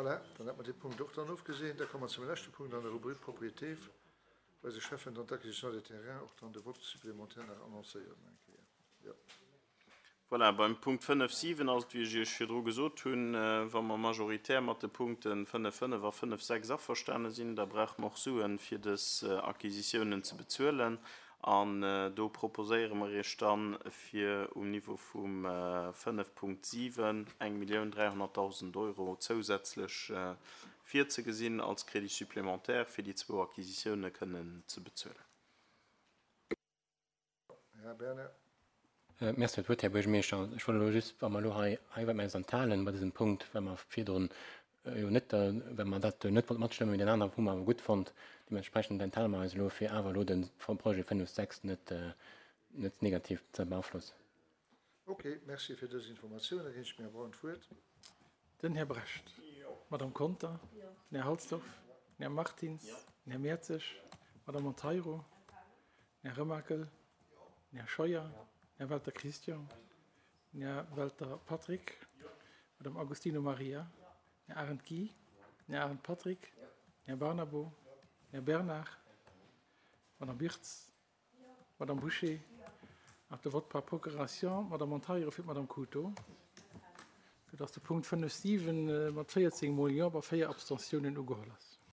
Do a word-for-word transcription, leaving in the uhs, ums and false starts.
Voilà, dann hätte mer dee Punkt och dann ofgeseent. Da komme mer zum leschte Punkt an der Rubrik Propriété, wou eise Schäffen dann d'Acquisition des terrains och dann de Vote supplémentaire nach annoncéiert eng Kéier. Jo. Voilà, beim Punkt fënnef siwen ass et, wéi ech Iech virdru gesot hunn, wa mer majoritär mat de Punkte fënnef fënnef a fënnef sechs averstane sinn, da brauche mer och Suen, fir dës Acquisitiounen ze bezuelen. An do proposéiere mer Iech dann, fir um Niveau vum fënnef Punkt siwen eng Millioun dräihonnertdausend Euro zousätzlech virzegesinn als Crédit supplémentaire, fir déi zwou Acquisitioune kënnen ze bezuelen. Här Bernard. Merci fir d'Wuert, Här Buergermeeschter. Ech wollt elo just, wa mer elo hei, hei wat mer eis enthalen bei dësem Punkt, well mer virdrun jo net, well mer dat net wollte matstëmmen, mee deen anere hu mer awer gutt fonnt. Deementsprechend enthale mer eis elo, fir awer elo de Projet fënnef sechs net, net negativ ze beaflossen. Ok, merci fir dës Informatioun. Da ginn ech dem Här Braun d'Wuert. Den Här Brecht. D'Madame Conter. Den Här Halsdorf. Den Här Martins. Den Här Mertzig. D'Madame Monteiro. Den Här Remakel. Den Här Scheuer. Den Här Welter Christian. Den Här Welter Patrick. D'Madame Agostino Maria. Den Här Arendt Guy. Den Här Arendt Patrick. Den Här Barnabo. Den Här Bernard. D'Madame Birtz. D'Madame Bouché. Nach de Vote par procuration, d'Madame Monteiro fir d'Madame Couto, soudass de Punkt fënnef siwen mat véierzéng mol Jo bei véier Abstentiounen ugeholl ass.